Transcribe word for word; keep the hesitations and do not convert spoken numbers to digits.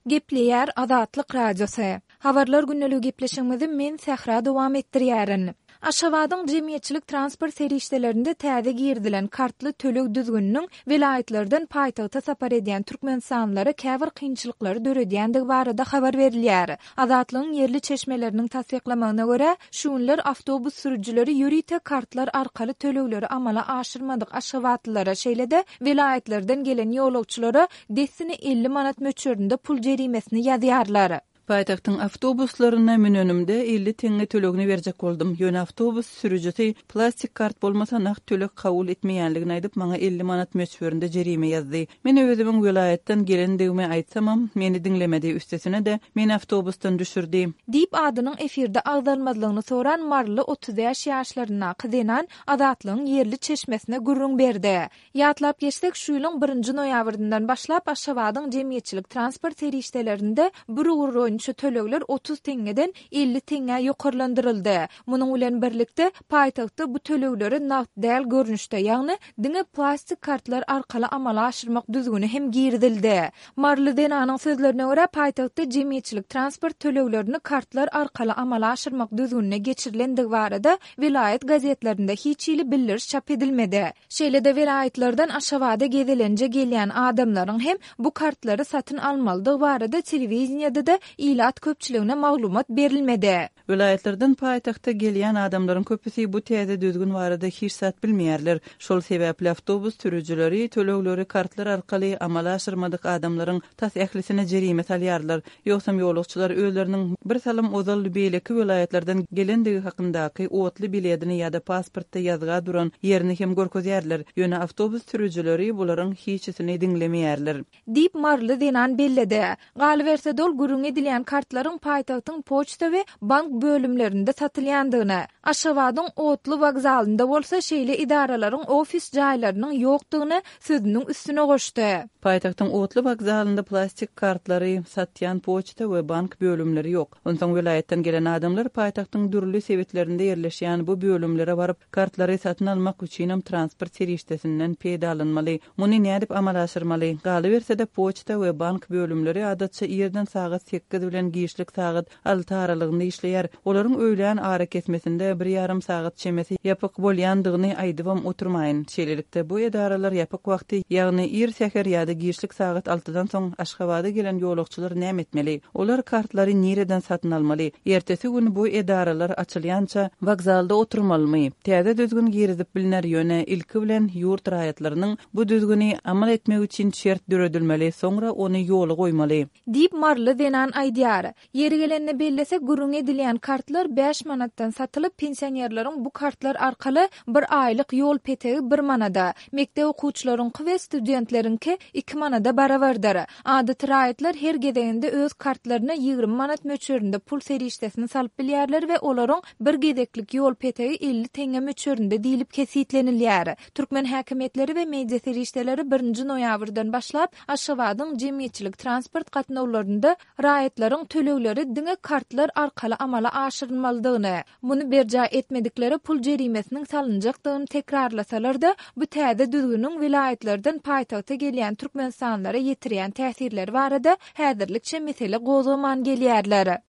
Gepleýär Azatlyk Radiosy. Habarlar gündeligi gepleşigimizi men Sähra dowam etdirýärin. Aşgabadyň jemgyýetçilik transport serişdelerinde täze girizilen kartly töleg düzgüniniň welaýatlardan paýtagta sapar edýän türkmenistanlylara käbir kynçylyklary döredýändigi barada habar berilýär. Azatlygyň ýerli çeşmeleriniň tassyklamagyna görä, şu günler awtobus sürüjileri ýörite kartlar arkaly tölegleri amala aşyrmadyk aşgabatlylara, şeýle-de welaýatlardan gelen ýolagçylara dessine elli manat möçberinde pul jerimesini ýazýarlar. Paýtagtyň awtobuslaryna münenimde elli teňňe tölegini berjek boldum. Ýöne awtobus sürüjisi plastik kart bolmasa nagt töleg kabul etmeýänligini aýdyp, maňa elli manat möçberinde jerime ýazdy. Men özümiň welaýatdan gelendigimi aýtsamam, meni diňlemedi, üstesine-de meni awtobusdan düşürdi. Diýip, adynyň efirde agzalmazlygyny soran maryly otuz bäş ýaşlaryndaky zenan Azatlygyň ýerli çeşmesine gürrüň berdi. Ýatlap geçsek, şu ýylyň birinji noýabryndan başlap Aşgabadyň jemgyýetçilik transport serişdelerinde bir ugur boýunça tölegler otuz teňňeden elli teňňä ýokarlandyryldy. Munuň bilen birlikde, paýtagtda bu tölegleri nagt däl görnüşde, ýagny diňe plastik kartlar arkaly amala aşyrmak düzgüni hem girizildi. Maryly zenanyň sözlerine görä, paýtagtda jemgyýetçilik transport töleglerini kartlar arkaly amala aşyrmak düzgünine geçirilendigi barada welaýat gazetlerinde hiç hili bildiriş çap edilmedi. Şeýle-de welaýatlardan Aşgabada gezelenje gelýän adamlaryň hem bu kartlary satyn almalydygy barada telewideniýede-de ilat köpçüligine maglumat berilmedi. Welaýatlardan paýtagta gelýän adamlaryň köpüsi bu täze düzgün barada hiç zat bilmeýärler. Şol sebäpli awtobus sürüjileri tölegleri kartlar arkaly amala aşyrmadyk adamlaryň tas ählisine jerime salýarlar. Ýogsam ýolagçylar özleriniň bir salym ozal beýleki welaýatlardan gelendigi hakyndaky otly biledini ýa-da pasportda ýazga duran ýerini hem görkezýärler. Ýöne awtobus sürüjileri bularyň hiçisini diňlemeýärler. Diýip, maryly zenan belledi. Galyberse-de ol gürrüň edilýän kartlaryň paýtagtyň poçta we bank bölümlerinde satylýandygyny, Aşgabadyň otly wokzalynda bolsa şeýle edaralaryň ofis jaýlarynyň ýokdugyny sözüniň üstüne goşdy. Paýtagtyň otly wokzalynda plastik kartlary satýan poçta we bank bölümleri ýok. Onsoň welaýatdan gelen adamlar paýtagtyň dürli sebitlerinde ýerleşýän bu bölümlere baryp, kartlary satyn almak üçinem transport serişdesinden peýdalanmaly. Muny nädip amala aşyrmaly? Galyberse-de poçta we bank bölümleri adatça irden sagat sekiz bilen giçlik sagat alty aralygynda işleýär. Olaryň öýlän arakesmesinde bir ýarym sagat çemesi ýapyk bolýandygyny aýdybam oturmaýyn. Şeýlelikde bu edaralar ýapyk wagty, ýagny ir säher ýa-da giçlik sagat altydan soň Aşgabada gelen ýolagçylar näme etmeli? Olar kartlary nireden satyn almaly? Ertesi gün bu edaralar açylýança wokzalda oturmalymy? Täze düzgün girizip bilner, ýöne ilki bilen ýurt raýatlarynyň bu düzgüni amal etmek üçin şert döredilmeli, soňra ony ýola goýmaly. Diýip, maryly zenan aýdýar. Ýeri gelende bellesek, gürrüň edilýän kartlar bäş manatdan satylyp, pensionerleriň bu kartlar arkaly bir aýlyk ýol petegi bir manada, mekdep okuwçylaryňky we studentleriňki iki manada barabardyr. Adaty raýatlar her gezeginde öz kartlaryna ýigrimi manat möçberinde pul serişdesini salyp bilýärler we olaryň bir gezeklik ýol petegi elli teňňe möçberinde diýlip kesgitlenilýär. Türkmen häkimiýetleri we media serişdeleri birinji noýabrdan başlap Aşgabadyň jemgyýetçilik transport gatnawlarynda raýatlaryň tölegleri diňe kartlar arkaly amala aşyrylmalydygyny, muny berjaý etmediklere pul jerimesiniň salynjakdygyny tekrarlasalar-da, bu täze düzgüniň welaýatlardan paýtagta gelýän türkmenistanlylara ýetirýän täsirleri barada häzirlikçe mesele gozgaman gelýärler.